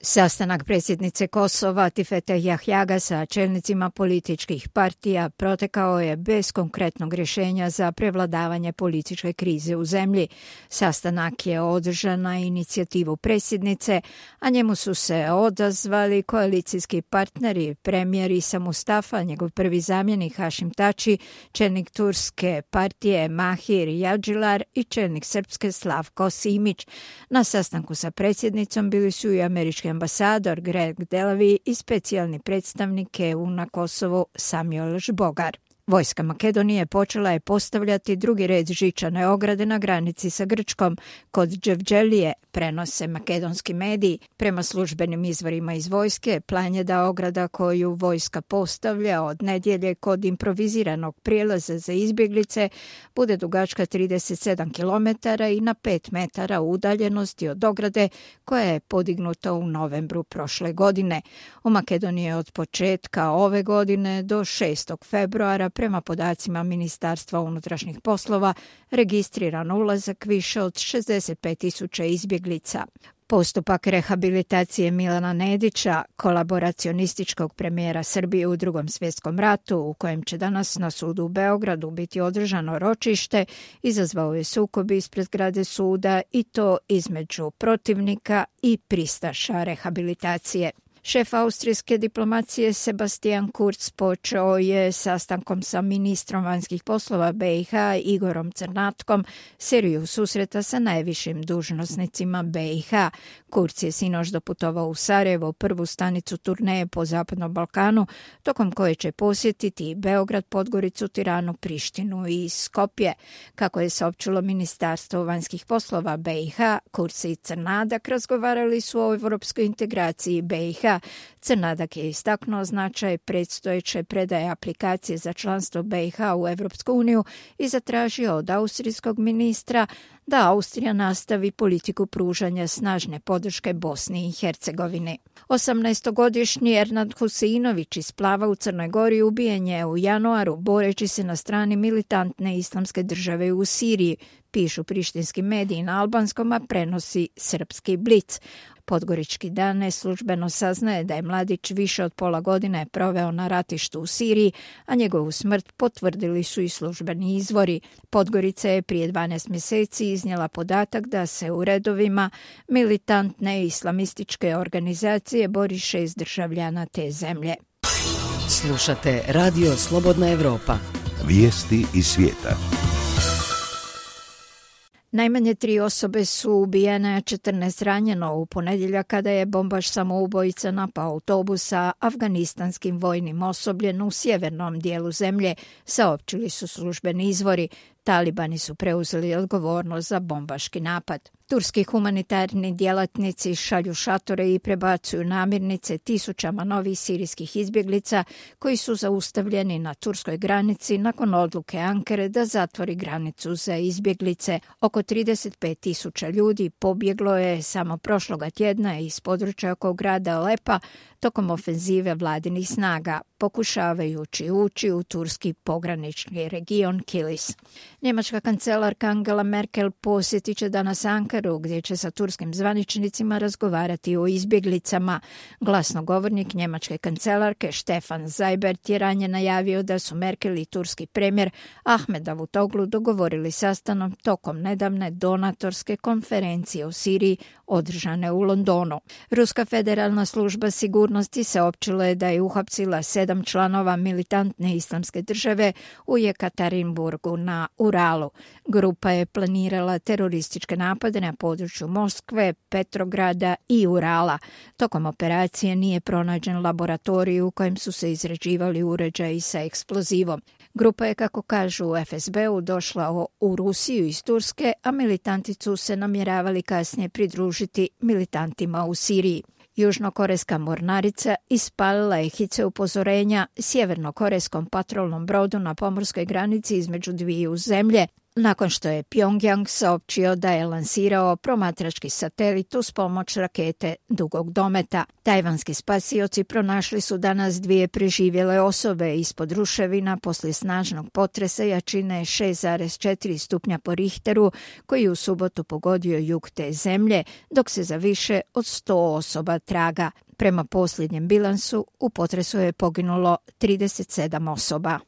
Sastanak predsjednice Kosova Tifete Jahjaga sa čelnicima političkih partija protekao je bez konkretnog rješenja za prevladavanje političke krize u zemlji. Sastanak je održan na inicijativu predsjednice, a njemu su se odazvali koalicijski partneri, premijer Isa Mustafa, njegov prvi zamjenik Hašim Tači, čelnik turske partije Mahir Jadžilar i čelnik srpske Slavko Simić. Na sastanku sa predsjednicom bili su i američki ambasador Greg Delavi i specijalni predstavnik EU na Kosovu Samuel Žbogar. Vojska Makedonije počela je postavljati drugi red žičane ograde na granici sa Grčkom kod Dževđelije, prenose makedonski mediji. Prema službenim izvorima iz vojske, plan je da ograda koju vojska postavlja od nedjelje kod improviziranog prijelaza za izbjeglice bude dugačka 37 km i na 5 metara udaljenosti od ograde koja je podignuta u novembru prošle godine. U Makedoniji je od početka ove godine do 6. februara prema podacima Ministarstva unutrašnjih poslova registriran ulazak više od 65.000 izbjeglica. Postupak rehabilitacije Milana Nedića, kolaboracionističkog premijera Srbije u Drugom svjetskom ratu, u kojem će danas na sudu u Beogradu biti održano ročište, izazvao je sukob ispred zgrade suda i to između protivnika i pristaša rehabilitacije. Šef austrijske diplomacije Sebastian Kurz počeo je sastankom sa ministrom vanjskih poslova BiH Igorom Crnatkom seriju susreta sa najvišim dužnosnicima BiH. Kurz je sinoć doputovao u Sarajevo, prvu stanicu turneje po Zapadnom Balkanu, tokom koje će posjetiti Beograd, Podgoricu, Tiranu, Prištinu i Skopje. Kako je saopćilo Ministarstvo vanjskih poslova BiH, Kurz i Crnadak razgovarali su o europskoj integraciji BiH. Crnadak je istaknuo značaj predstojeće predaje aplikacije za članstvo BiH u Evropsku uniju i zatražio od austrijskog ministra da Austrija nastavi politiku pružanja snažne podrške Bosni i Hercegovini. 18-godišnji Ernad Husinović iz Plava u Crnoj Gori ubijen je u januaru boreći se na strani militantne islamske države u Siriji, pišu prištinski mediji na albanskom, a prenosi srpski Blic. Podgorički dan neslužbeno saznaje da je mladić više od pola godine proveo na ratištu u Siriji, a njegovu smrt potvrdili su i službeni izvori. Podgorica je prije 12 mjeseci iznijela podatak da se u redovima militantne islamističke organizacije bori 6 državljana te zemlje. Slušate Radio Slobodna Evropa. Vijesti iz svijeta. Najmanje 3 osobe su ubijene, a 14 ranjeno u ponedjeljak kada je bombaš samoubojica napao autobus sa afganistanskim vojnim osobljem u sjevernom dijelu zemlje, saopćili su službeni izvori. Talibani su preuzeli odgovornost za bombaški napad. Turski humanitarni djelatnici šalju šatore i prebacuju namirnice tisućama novih sirijskih izbjeglica koji su zaustavljeni na turskoj granici nakon odluke Ankare da zatvori granicu za izbjeglice. Oko 35.000 ljudi pobjeglo je samo prošloga tjedna iz područja oko grada Alepa tokom ofenzive vladinih snaga, pokušavajući ući u turski pogranični region Kilis. Njemačka kancelarka Angela Merkel posjetit će danas Ankaru, gdje će sa turskim zvaničnicima razgovarati o izbjeglicama. Glasnogovornik njemačke kancelarke Stefan Seibert je ranije najavio da su Merkel i turski premijer Ahmed Davutoglu dogovorili sastanak tokom nedavne donatorske konferencije o Siriji održane u Londonu. Ruska federalna služba sigurnosti saopćila je da je uhapsila 7 članova militantne islamske države u Jekaterinburgu na Uralu. Grupa je planirala terorističke napade na području Moskve, Petrograda i Urala. Tokom operacije nije pronađen laboratorij u kojem su se izrađivali uređaji sa eksplozivom. Grupa je, kako kažu u FSB-u, došla u Rusiju iz Turske, a militanti su se namjeravali kasnije pridružiti militantima u Siriji. Južnokorejska mornarica ispalila je hice upozorenja sjevernokorejskom patrolnom brodu na pomorskoj granici između dviju zemlje, nakon što je Pjongjang saopćio da je lansirao promatrački satelit uz pomoć rakete dugog dometa. Tajvanski spasioci pronašli su danas 2 preživjele osobe ispod ruševina poslije snažnog potresa jačine 6,4 stupnja po Richteru koji je u subotu pogodio jug te zemlje, dok se za više od 100 osoba traga. Prema posljednjem bilansu, u potresu je poginulo 37 osoba.